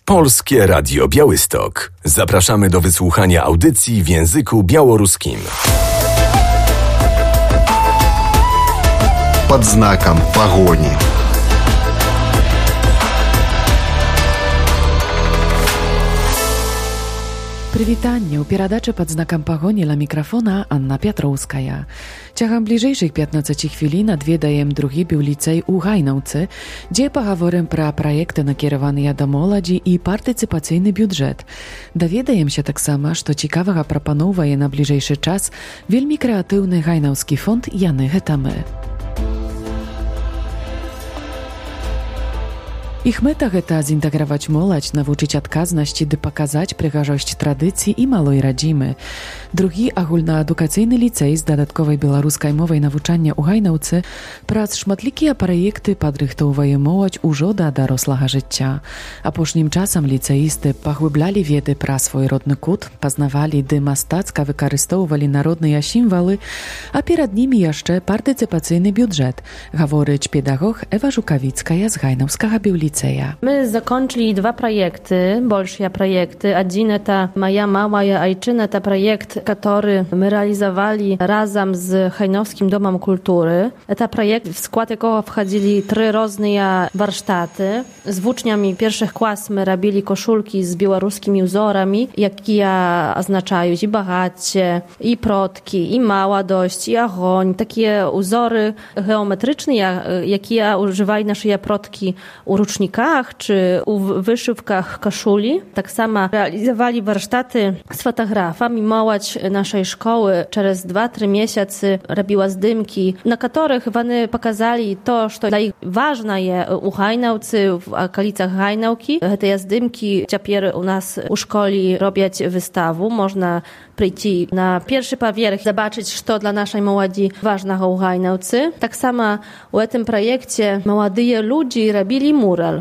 Polskie Radio Białystok. Zapraszamy do wysłuchania audycji w języku białoruskim. Под знаком погони. Прывітанне ў перадачы пад знакам пагоні ля мікрафона Анна Пятроўская. Цягам бліжэйшых 15 хвілін адведаем другі біўліцэй у Гайнаўцы, дзе пагаворым пра праекты, накіраваныя да моладзі і партыцыпацыйны бюджэт. Даведаемся таксама, што цікавага прапаноўвае на бліжэйшы час вельмі крэатыўны гайнаўскі фонд «Яны гэта мы». Іх мэта гэта зінтэграваць моладзь, навучыць адказнасці ды паказаць прыгажосць традыцый і малой радзімы. Другі агульнаадукацыйны ліцэй з дадатковай беларускай мовай навучання ў Гайнаўцы праз шматлікія праекты падрыхтоўвае моладзь ужо да дарослага жыцця. Апошнім часам ліцэісты паглыблялі веды пра свой родны кут, пазнавалі ды мастацка выкарыстоўвалі народныя сімвалы, а перад німі яшчэ партыцыпацыйны бюджэт, гаворыць педагог Эва Жукавіцкая з Гайнаўскага біўліцэя. My zakończyli dwa projekty, большие проекты. Один это «Моя мамая айчина», это проект, который мы реализовали разом с Хайновским домом культуры. Это проект, в скład якого wchodzili 3 różne warsztaty. Z uczniami pierwszych klas my robili koszulki z białoruskimi wzorami, jakie oznaczają i bogacie, i protki, i młodość, i ogień. Takie wzory geometryczne, jakie używali nasze protki u rucznikach czy u wyszywkach koszuli. Tak samo realizowali warsztaty z fotografami. Mołodź naszej szkoły przez 2-3 miesiące robiła zdjęcia, na których oni pokazali to, co dla nich ważne jest u Gajnałcy, w okolicach Gajnałki. Te zdjęcia teraz u nas u szkoli robią wystawę. Można przyjść na pierwszy powierzch, zobaczyć, co dla naszej młodzi ważnego u Gajnałcy. Tak samo u tym projekcie młodzi ludzie robili mural.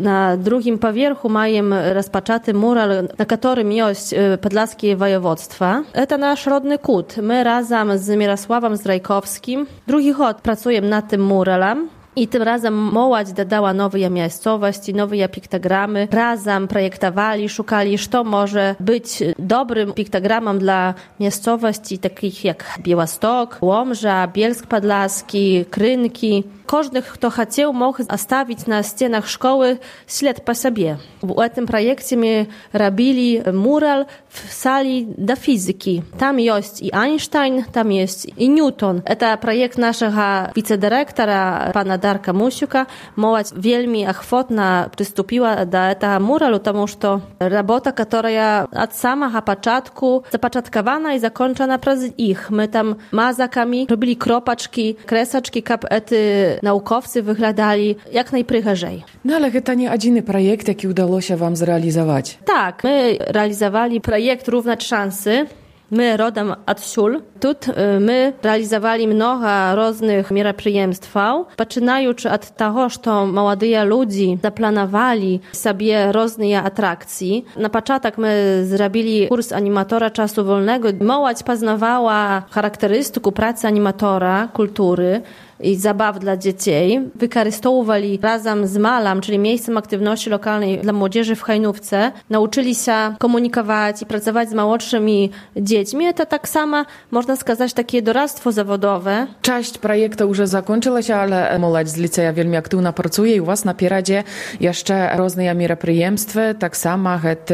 Na drugim powierzchu mają rozpoczęty mural, na którym jest podlaskie województwa. To nasz rodny kut. My razem z Mirosławem Zdrajkowskim drugi rok pracujemy nad tym muralem. I tym razem mołodź dodała nowe miejscowości, nowe piktogramy. Razem projektowali, szukali, co może być dobrym piktogramem dla miejscowości takich jak Białystok, Łomża, Bielsk Podlaski, Krynki. Każdy, kto chciał, mógł zostawić na ścianach szkoły ślad po sobie. W tym projekcie my robili mural w sali do fizyki. Tam jest i Einstein, tam jest i Newton. To projekt naszego wicedyrektora, pana Darka Musiuka. Mołodź wielmi ochotna przystąpiła do tego muralu, ponieważ to robota, która od samego początku zapoczątkowana i zakończona przez ich. My tam mazakami robili kropaczki, kresaczki, kapety naukowcy wyglądali jak najprzyjaźniej. No ale to nie jedyny projekt, jaki udało się wam zrealizować. Tak, my realizowali projekt Równać Szansy. My rodem odsiul. Tu my realizowali mnogo różnych мероприемств. Poczynając od tego, że młodzi ludzie zaplanowali sobie różne atrakcje. Na początek my zrobili kurs animatora czasu wolnego. Młodzież poznawała charakterystykę pracy animatora, kultury i zabaw dla dzieci. Wykorzystywali razem z Malam, czyli miejscem aktywności lokalnej dla młodzieży w Hajnówce. Nauczyli się komunikować i pracować z młodszymi dziećmi. To tak samo, można сказать, takie doradztwo zawodowe. Część projektu już zakończyła się, ale młodzież z liceja wielmi aktywna pracuje i u was na pieradzie jeszcze różne мероприемства, tak samo jest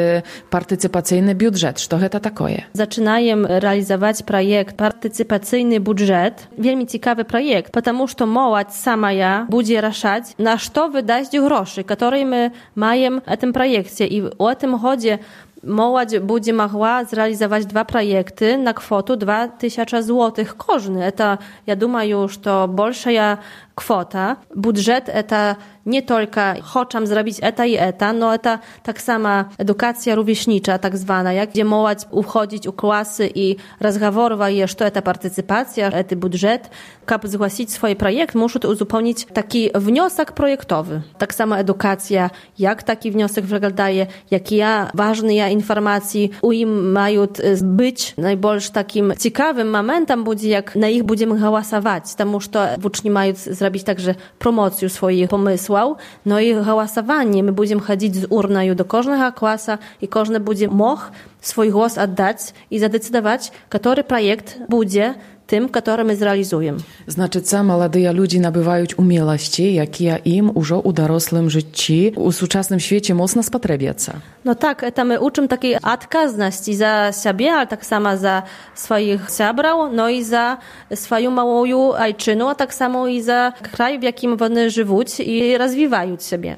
partycypacyjny budżet. Co to takie? Zaczynajem realizować projekt partycypacyjny budżet. Wielmi ciekawy projekt, потому что молодь самая будет решать, на что выдать гроши, которые мы маем в этом проекте. И в этом году молодь будет могла зреализовать 2 проекты на kwotę 2000 złotych każdy. Это, я думаю, что большая kwota. Budżet to nie tylko chcę zrobić eta i eta, no to tak sama edukacja rówieśnicza, tak zwana, jak gdzie młodzież uchodzić u klasy i rozmawiać, że to partycypacja, to budżet. Aby zgłosić swój projekt, muszą uzupełnić taki wniosek projektowy. Tak sama edukacja, jak taki wniosek wyglądaje, jakie ważne informacje u im mają być. Najbardziej takim ciekawym momentem będzie, jak na ich będziemy głosować, потому что uczniowie mają zrobić także promocję swoich pomysłów. высłał, no i głosowanie. My będziemy chodzić z urną do każdego klasa i każdy będzie mógł swój głos oddać i zadecydować, który projekt będzie tym, który my zrealizujemy. Znaczy, co młodzi ludzie nabywają umiejętności, jakie im już u dorosłym życiu, u współczesnym świecie mocno spotrebiają. No tak, to my uczymy takiej odказności za siebie, ale tak samo za swoich zabrał, no i za swoją małą ojczyznę, a tak samo i za kraj, w jakim one żyją i rozwijają siebie.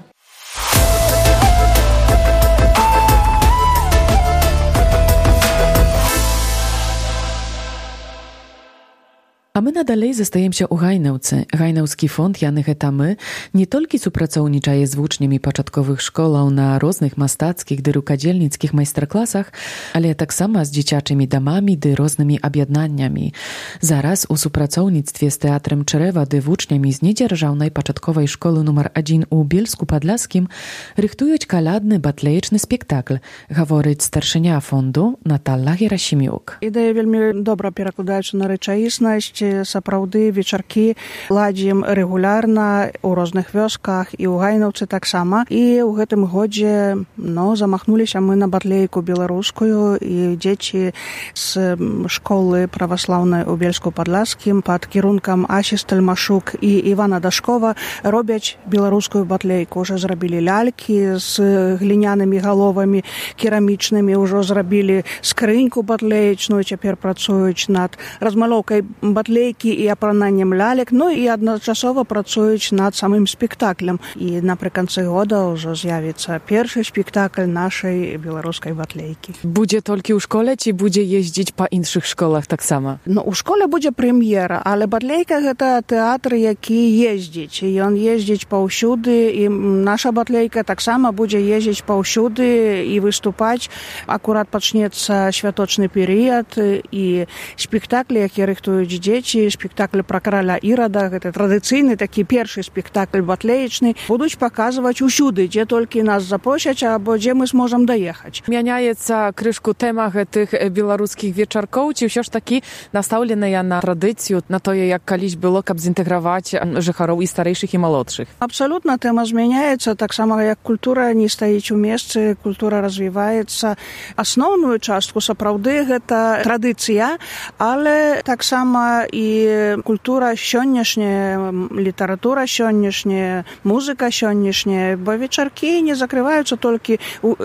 A my nadalej zostajemy się u Hajnałce. Hajnałski fond Jany Hetamy nie tylko współpracowniczaje z włóczniami początkowych szkołów na różnych mastackich, rukodzielnickich majsterklasach, ale tak samo z dzieciaczymi domami, różnymi obiadnaniami. Zaraz u współpracownictwie z Teatrem Czerewa, włóczniami z niedzierżawnej początkowej szkoły numer 1 u Bielsku Podlaskim rychtują kaladny, batlejeczny spektakl, говорить starszynia fondu Natala Gerasimiuk. Idea veľmi dobra перакладаецца на рэчаіснасць. Сапраўды вечаркі ладзім рэгулярна ў розных вёсках і ў Гайнаўцы таксама. І ў гэтым годзе замахнуліся мы на батлейку беларускую, і дзеці з школы праваслаўнай у Бельску-Падласкім пад кірункам Асі Стальмашук і Івана Дашкова робяць беларускую батлейку. Уже зрабілі лялькі з глінянымі галовамі керамічнымі, ўжо зрабілі скрыньку батлеечную, цяпер працуюць над размалёўкай батлейкі і апрананнем лялек, і адначасова працуюць над самым спектаклем. І напрыканцы года ўжо з'явіцца першы спектакль нашай беларускай батлейкі. Будзе толькі ў школе, ці будзе ездзіць па іншых школах таксама? У школе будзе прэм'ера, але батлейка гэта тэатр, які ездзіць. Ён ездзіць паўсюды, і наша батлейка таксама будзе ездзіць паўсюды і выступаць. Акурат пачнецца святочны перыяд, і спектаклі, якія рыхтуюць дзеці, спектакль пра караля Ірада, гэта традыцыйны такі першы спектакль батлеечны, будуць паказваць усюды, дзе толькі нас запросяць, або дзе мы зможам даехаць. Мяняецца крышку тэма гэтых беларускіх вечаркоў, ці ўсё ж такі настаўленая на традыцыю, на тое, як калісь было, каб зінтэграваць жыхароў і старэйшых, і малодшых? Абсалютна тэма змяняецца, таксама як культура не стаіць у месцы, культура развіваецца. Асноўную частку сапраўды гэта традыцыя, але таксама і культура сённяшняя, літаратура сённяшняя, музыка сённяшняя, бо вечаркі не закрываюцца толькі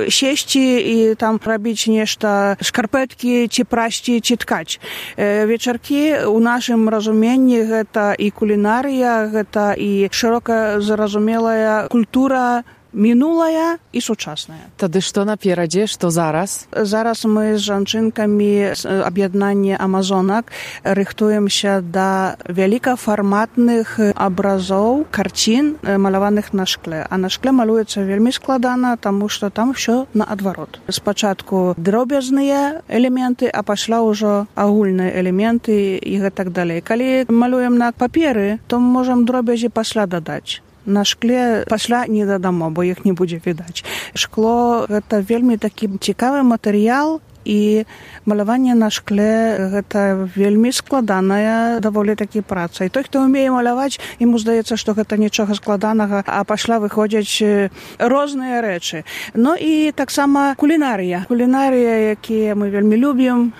сесці і там рабіць нешта, шкарпэткі, ці прасці, ці ткаць. Вечаркі ў нашым разуменні гэта і кулінарыя, гэта і шырока зразумелая культура мінулая і сучасная. Тады што наперадзе, што зараз? Зараз мы з жанчынкамі аб'яднання амазонак рыхтуемся да вялікафарматных абразоў, карцін, маляваных на шкле. А на шкле малюецца вельмі складана, таму што там ўсё наадварот. Спачатку дробязныя элементы, а пасля ўжо агульныя элементы і гэтак далей. Калі малюем на паперы, то можам дробязі пасля дадаць. На шкле пасля не дадамо, бо іх не будзе відаць. Шкло – гэта вельмі такі цікавы матэрыял, і маляванне на шкле – гэта вельмі складаная даволі такі праца. І той, хто ўмее маляваць, яму здаецца, што гэта нічога складанага, а пасля выходзяць розныя рэчы. І таксама кулінарыя. Кулінарыя, якія мы вельмі любім,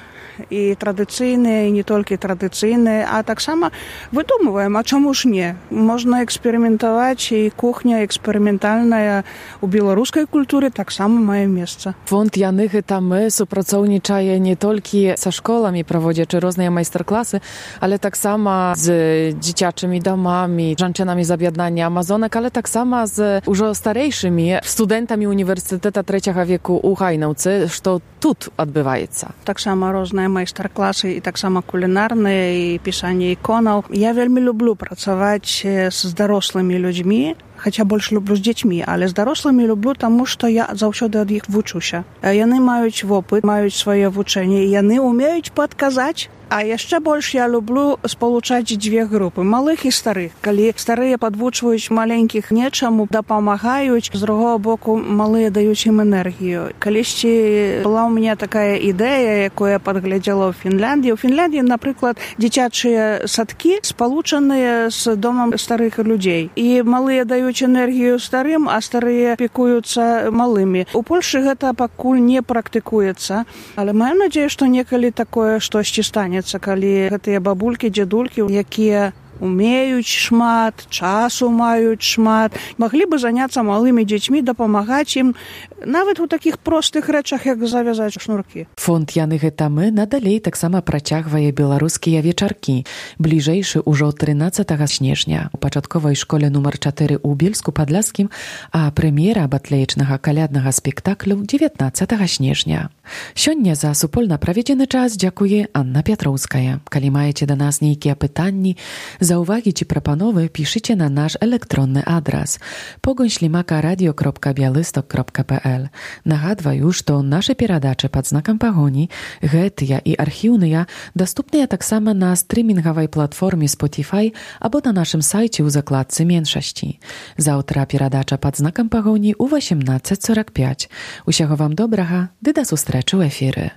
і традыцыйныя, і не толькі традыцыйныя, а таксама выдумваем, а чаму ж не? Можна эксперыментаваць, і кухня эксперыментальная у беларускай культуры таксама мае месца. Фонд Яны Hetamy супрацоўнічае не толькі са школамі, праводзячы розныя майстар-класы, але таксама з дзіцячымі дамамі, жанчынамі з аб'яднання амазонак, але таксама з ўжо старэйшымі студэнтамі універсітэта 3 веку ў Гайнаўцы, што тут адбываецца. Таксама розныя майстар-класы, і таксама кулінарныя, і пісанне іконаў. Я вельмі люблю працаваць з дарослымі людзьмі, хаця больш люблю з дзецьмі, але з дарослымі люблю, таму што я заўсёды ад іх вучуся. Яны маюць вопыт, маюць свае вучэнне, і яны ўмеюць падказаць. А яшчэ больш я люблю спалучаць дзве групы, малых і старых. Калі старыя падвучваюць маленькіх нечаму, дапамагаюць, з другого боку малыя даюць ім энергію. Калісьці была ў мяне такая ідэя, якую я падглядзела ў Фінляндіі. У Фінляндіі, напрыклад, дзіцячыя садкі спалучаныя з домам старых людзей. І малыя даюць даюць энергію старым, а старыя пікуюцца малымі. У Польшы гэта пакуль не практыкуецца, але маю надзею, што некалі такое штосьці станецца, калі гэтыя бабулькі, дзядулькі, якія умеюць шмат, часу маюць шмат, маглі бы заняцца малымі дзецьмі, дапамагаць ім нават у такіх простых рэчах, як завязаць шнуркі. Фонд Яны гэта мы надалей таксама працягвае беларускія вечаркі. Бліжэйшы ўжо 13 снежня у пачатковай школе нумар 4 ў Бельску-Падляскім, а прэм'ера батлеечнага каляднага спектаклю 19 снежня. Сёння за супольна праведзены час дзякуе Анна Пятроўская. Калі маеце да нас нейкія пытанні, заўвагі ці прапановы, пішыце на наш электронны адрас pogoń@radio.bialystok.pl. Нагадваю, што нашы перадачы пад знакам пагоні, гэтыя і архіўныя, даступныя таксама на стрымінгавай платформе Spotify або на нашым сайце ў закладцы меншасці. Заўтра перадача пад знакам пагоні ў 18:45. Усяго вам добрага, ды да сустрэчы ў эфіры.